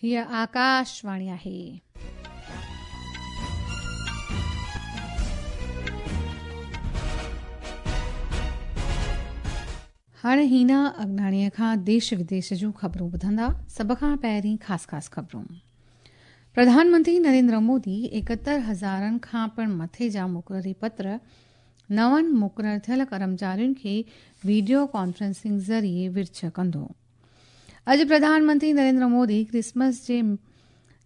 هيء آڪاشواڻي آهي. هاڻي هينا اگناڻيء کان ديش وديش جون خبرون ٻڌندا. سڀ کان پهرين خاص خاص خبرون. پرڌان منتري نريندر مودي 71 هزارن کان پڻ مٿي جا مقرري پتر نون مقرر ٿيل ڪرمچارين کي وڊيو ڪانفرنسنگ ذريعي ورڇ ڪندو. اڄ پرڌان منتري نريندر مودي ڪرسمس جي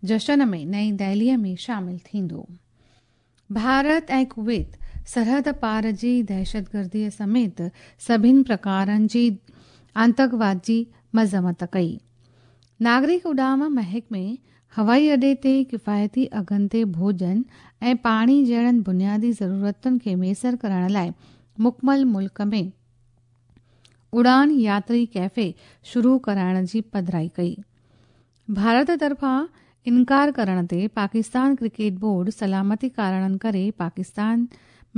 جشن ۾ نئين دهليء ۾ شامل ٿيندو. ڀارت ۽ ڪويت سرحد پار جي دهشتگرديء سميت سڀن پرڪارن جي آتنڪواد جي مذمت ڪئي. ناگرڪ اڏام محڪمي هوائي اڏي تي ڪفايتي اگهن تي ڀوڄن ۽ پاڻي جهڙن بنيادي ضرورتن کي ميسر ڪرڻ لاء مڪمل ملڪ ۾ اڙان ياتري ڪيفي شروع ڪرائڻ جي پڌرائي ڪئي. ڀارت طرفان انڪار ڪرڻ تي پاڪستان ڪرڪيٽ بورڊ سلامتي ڪارڻن ڪري Pakistan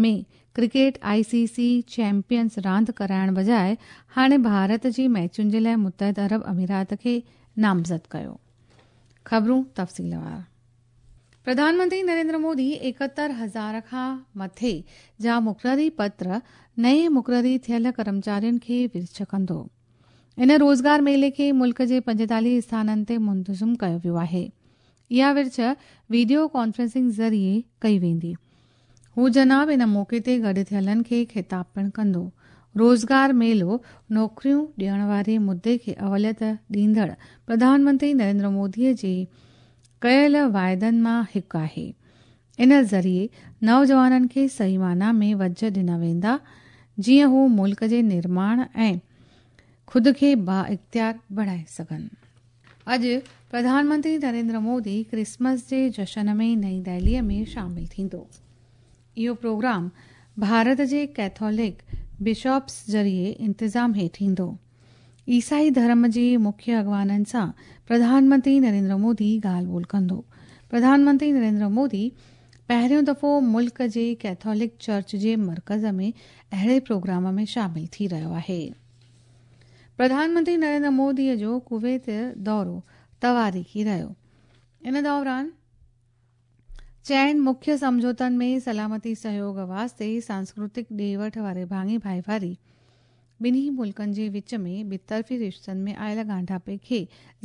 ۾ cricket I C C champions راند ڪرائڻ بجاء هاڻي ڀارت جي ميچن جي لاء متحده عرب امارات کي نامزد ڪيو. خبرون تفصيلوار. پرڌان منتري نريندر مودي 71 هزار کان مٿي جا مقرري پتر نئين مقرري ٿيل ڪرمچارين کي ورڇ ڪندو. ان روزگار ميلي کي ملڪ جي 45 اسٿانن تي منتظم ڪيو ويو آهي. اها ورڇ وڊيو ڪانفرنسنگ ذريعي ڪئي ويندي. هو جناب ان موقعي تي گڏ ٿيلن کي خطاب پڻ ڪندو. روزگار ميلو نوڪريون ڏيڻ واري مدي کي اوليت ڏيندڙ پرڌان منتري نريندر مودي جي ڪيل واعدن مان هڪ آهي. ان ذريعي نوجوانن کي صحيح معنيٰ ۾ وجهه ڏنا ويندا جيئن هو ملڪ جي نرماڻ ۽ خود کي بااختيار بڻائي سگهن. اڄ پرڌان منتري نريندر مودي ڪرسمس جي جشن ۾ نئين دهليء ۾ شامل ٿيندو. اهو پروگرام ڀارت جي ڪيٿولڪ بشپس ذريعي انتظام هيٺ ايندو. عيسائي ڌرم جي مکيه اڳواڻن سان پرڌان منتري نريندر مودي ڳالهه ٻولهه ڪندو. پرڌان منتري نريندر مودي پهريون دفعو ملڪ جي ڪيٿولڪ چرچ جي مرڪز ۾ اهڙي پروگرام ۾ شامل ٿي رهيو آهي. پرڌان منتري نريندر مودي جو ڪويت دورو تواريخي رهيو. ان دوران چئن مکيه سمجهوتن ۾ سلامتي سهيوڳ واسطي سانسڪرتڪ ڏي وٺ واري ڀاڱي ڀائيواري ٻنهي ملڪن جي وچ ۾ ٻطرفي رشتن ۾ آيل ڳانڍاپي کي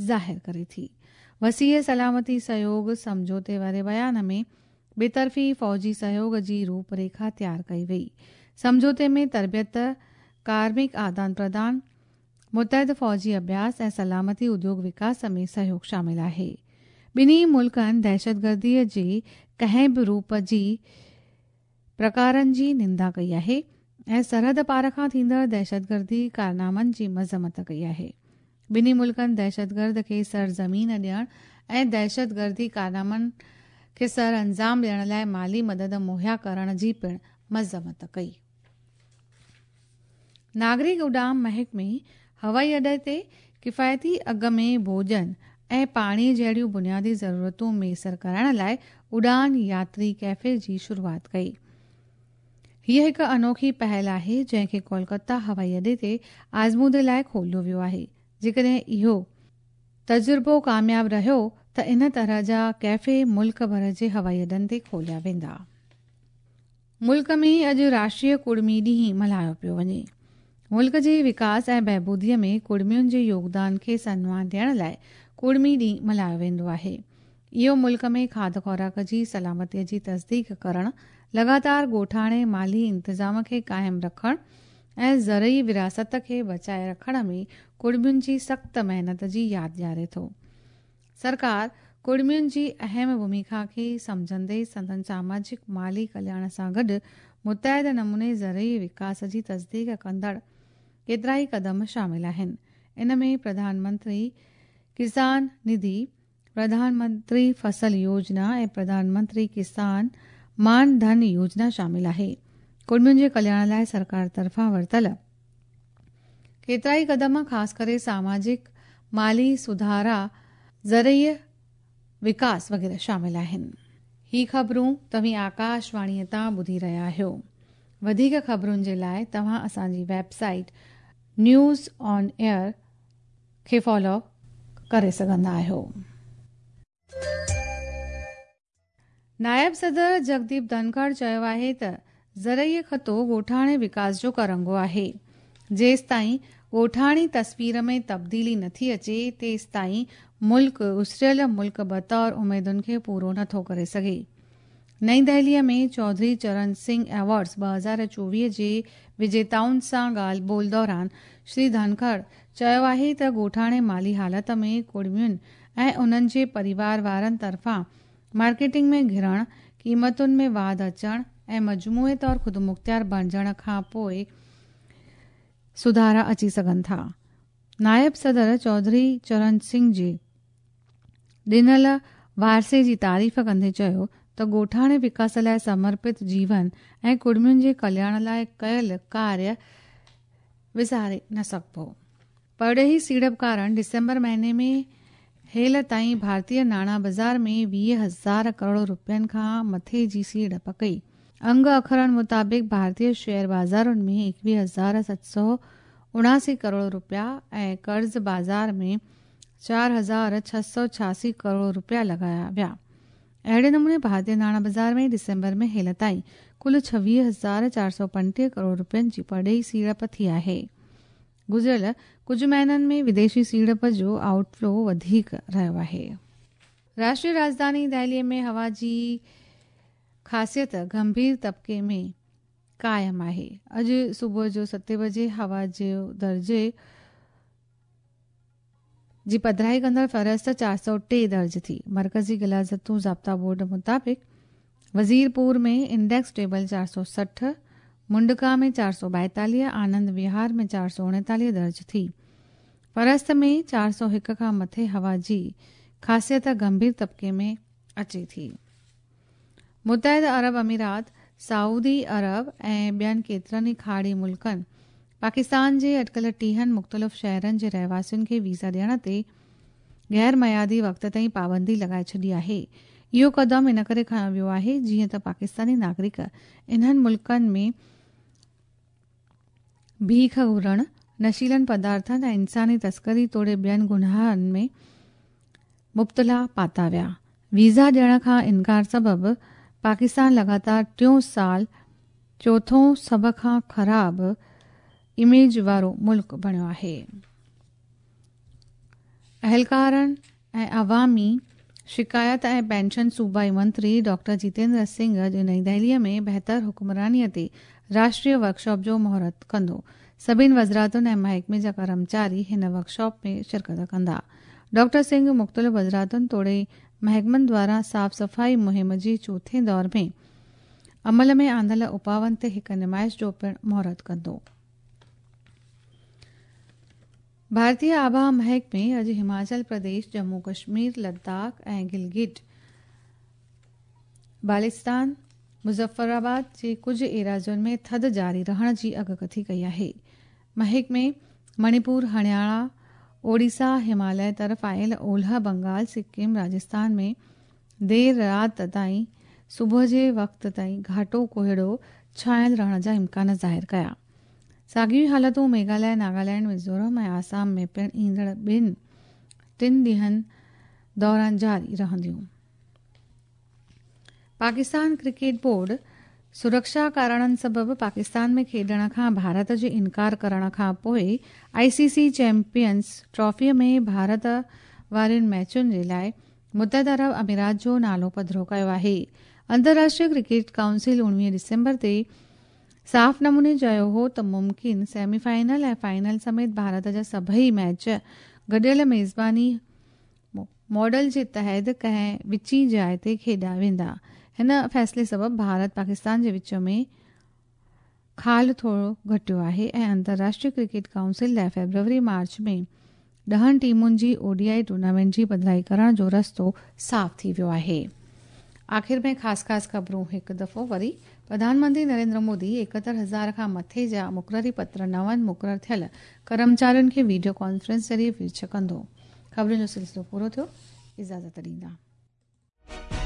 ظاهر ڪري ٿي. وسيع سلامتي سهيوڳ سمجهوتي واري بيان ۾ ٻطرفي فوجي سهيوڳ جي روپ ريکا تيار ڪئي وئي. سمجهوتي ۾ تربيت، ڪارمڪ آدان پردان، متحد فوجي اڀياس ۽ سلامتي اديوگ وڪاس ۾ سهيوڳ شامل آهي. ٻنهي ملڪن دهشتگردي جي ڪنهن به روپ جي پرڪارن جي نندا ڪئي آهي ۽ سرحد پار کان ٿيندڙ دهشتگردي ڪارنامن جي مذمت ڪئي آهي. ٻنهي ملڪن دهشتگرد کي سرزمين ڏيڻ ۽ دهشتگردي ڪارنامن کي سرانجام ڏيڻ لاء مالي مدد مهيا ڪرڻ جي پڻ مذمت ڪئي. ناگرڪ اڏام محڪمي هوائي اڏي تي ڪفايتي اگهه ۾ ڀوڄن ۽ پاڻي جهڙيون بنيادي ضرورتون ميسر ڪرائڻ لاء اڙان ياتري ڪيفي جي شروعات ڪئي. هيء هڪ انوکي پهل آهي جنهن کي ڪولڪتا هوائي اڏي تي آزمودي لاء کوليو ويو آهي. جيڪڏهن اهو تجربو ڪامياب رهيو ته ان طرح جا ڪيفي ملڪ ڀر جي هوائي اڏن تي کوليا ويندا. ملڪ ۾ اڄ راشٽريه ڪڙمي ڏينهن ملهايو پيو وڃي. ملڪ جي وڪاس ۽ بهبودي ۾ ڪڙمين جي يوگدان کي سنمان ڏيڻ لاء ڪڙمي ڏينهن ملهايو ويندو آهي. اهو ملڪ ۾ کاڌ خوراڪ جي سلامتي جي تصديق ڪرڻ، لڳاتار ڳوٺاڻي مالي انتظام کي قائم رکڻ ۽ زرعي وراثت کي بچائي رکڻ ۾ ڪڙمين جي سخت محنت جي ياد ڏياري ٿو. سرڪار ڪڙمين جي اهم ڀوميڪا کي سمجهندي سندن ساماجڪ مالي ڪلياڻ سان گڏ متحد نموني زرعي وڪاس جي تصديق ڪندڙ ڪيترائي قدم شامل آهن. ان ۾ پرڌان منتري ڪسان نڌي، پرڌان منتري فصل يوجنا ۽ پرڌان منتري ڪسان مان ڌن يوجنا شامل آهي. ڪڙمين جي ڪلياڻ لاء سرڪار طرفان ورتل ڪيترائي قدم خاص ڪري ساماجڪ، مالي سڌارا، زرعي وڪاس وغيره شامل آهن. هي خبرون توهين آڪاش واڻيء تان ٻڌي رهيا آهيو. وڌيڪ خبرن جي لاء توهان اسان جي web site news on air کي فالو ڪري سگهندا آهيو. نائب صدر جگديپ ڌنکڙ چيو آهي ته زرعي خطو ڳوٺاڻي وڪاس جو ڪرنگهو آهي، جيستائين ڳوٺاڻي تصوير ۾ تبديلي نٿي اچي تيستائين ملڪ اسريل ملڪ بطور اميدن کي پورو نٿو ڪري سگهي. نئين دهليء ۾ چوڌري چرن سنگهه ايوارڊز 2024 جي وجيتائن سان ڳالهه ٻولهه دوران شري ڌنکڙ چيو آهي ته ڳوٺاڻي مالي حالت ۾ ڪڙمين ۽ انهن جي پريوار وارن طرفان مارڪيٽنگ ۾ گهڙڻ، قيمتن ۾ واڌ اچڻ ۽ مجموعي طور خودمختيار بڻجڻ کان پوء سڌارا اچي سگهن ٿا. نائب صدر چوڌري چرن سنگهه جي ڏنل وارثي جي تعريف ڪندي چيو ته ڳوٺاڻي وڪاس لاء سمرپت جيون ۽ ڪڙمين جي ڪلياڻ لاء ڪيل ڪاريه وساري نه سگهبو. پرڏيهي سيڙپڪارن ڊسمبر مهيني ۾ هيل تائين ڀارتي ناڻا بازار ۾ 20 هزار ڪروڙ رپين کان مٿي جي سيڙپ ڪئي. انگ اکرن مطابق ڀارتي شيئر بازارن ۾ 21779 ڪروڙ رپيا ۽ قرض بازار ۾ 4686 ڪروڙ رپيا لڳايا ويا. اهڙي نموني ڀارتي ناڻا بازار ۾ ڊسمبر ۾ هيل تائين ڪل 26435 ڪروڙ رپين جي پرڏيهي سيڙپ ٿي آهي. گذريل ڪجهه مهينن ۾ وديشي سيڙپ جو آئوٽ فلو وڌيڪ رهيو آهي. راشٽري راڄڌاني دهلي ۾ هوا جي خاصيت گنڀير طبقي ۾ قائم آهي. اڄ صبح جو ستين بجي هوا جي درجي جي پڌرائي ڪندڙ فهرست 403 درج ٿي. مرڪزي غلاظتون ضابطا بورڊ مطابق وزيرپور ۾ انڊيڪس ٽيبل 460، منڊڪا ۾ 442، آنند وهار ۾ 439 درج ٿي. فهرست ۾ 401 کان مٿي هوا جي خاصيت گنڀير طبقي ۾ اچي ٿي. متحده عرب امارات، سعودي عرب ۽ ٻين ڪيترن ئي کاڙي ملڪن پاڪستان جي اٽڪل ٽيهن مختلف شهرن جي رهواسين کي ويزا ڏيڻ تي غير معيادي وقت تائين پابندي لڳائي ڇڏي آهي. اهو قدم ان ڪري کنيو ويو آهي جيئن ته پاڪستاني ناگرڪ انهن ملڪن ۾ ڀيک گهرڻ، نشيلن پدارٿن ۽ انساني تسڪري توڙي ٻين گناهن ۾ مبتلا پاتا ويا. ويزا ڏيڻ کان انڪار سبب پاڪستان لڳاتار ٽيون سال چوٿون سڀ کان خراب اميج وارو ملڪ بڻيو آهي. اهلڪارن ۽ عوامي شڪايت ۽ پينشن صوبائي منتري ڊاڪٽر جيتيندر سنگهه اڄ نئين دهلي ۾ بهتر حڪمراني تي راشٽريه ورڪشاپ جو مهورت ڪندو. سڀني وزراتن ۽ محڪمي جا ڪرمچاري هن ورڪشاپ ۾ شرڪت ڪندا. ڊاڪٽر سنگهه مختلف وزراتن توڙي محڪمن دواران صاف صفائي مهم جي چوٿين دور ۾ عمل ۾ آندل اپاون تي هڪ نمائش جو پڻ مهورت ڪندو. ڀارتي آبهوا محڪمي اڄ هماچل پرديش، ڄمون ڪشمير، لداخ ۽ گلگت بالستان، مظفر آباد جي ڪجهه ايراضين ۾ ٿڌ جاري رهڻ جي اڳڪٿي ڪئي آهي. محڪمي مڻيپور، هرياڻا، اوڙيسا، هماليه طرف آيل اولهه بنگال، سڪم، راجستان ۾ دير رات تائين صبح جي وقت تائين گهاٽو ڪوهيڙو ڇانيل رهڻ جا امڪان ظاهر ڪيا. ساڳيون ئي حالتون ميگهاليه، ناگالينڊ، ميزورم ۽ آسام ۾ پڻ ايندڙ ٻن ٽن ڏينهن دوران جاري رهنديون. پاڪستان ڪرڪيٽ بورڊ سرڪشا ڪارڻن سبب پاڪستان ۾ کيڏڻ کان ڀارت جي انڪار ڪرڻ کان پوء آء سي سي چيمپيئنز ٽرافي ۾ ڀارت وارين ميچن جي لاء متحده عرب امارات جو نالو پڌرو ڪيو آهي. انترراشٽريه ڪرڪيٽ ڪائونسل 19 ڊسمبر تي صاف نموني چيو هو ته ممڪن سيمي فائنل ۽ فائنل سميت ڀارت جا سڀئي ميچ گڏيل ميزباني ماڊل جي تحت ڪنهن وچين جاء تي کيڏيا ويندا. هن فيصلي سبب ڀارت پاڪستان جي وچ ۾ خال ٿورو گهٽيو آهي ۽ انترراشٽريه ڪرڪيٽ ڪائونسل لاء فيبروري مارچ ۾ ڏهن ٽيمن جي او ڊي I tournament جي پڌرائي ڪرڻ جو رستو صاف ٿي ويو آهي. آخر ۾ خاص خاص خبرون هڪ دفعو وري، پرڌان منتري نريندر مودي 71 هزار کان مٿي جا مقرري پتر نون مقرر ٿيل ڪرمچارين کي ويڊيو ڪانفرنس ذريعي ورڇ ڪندو. خبرن جو سلسلو پورو ٿيو، اجازت ڏيندا.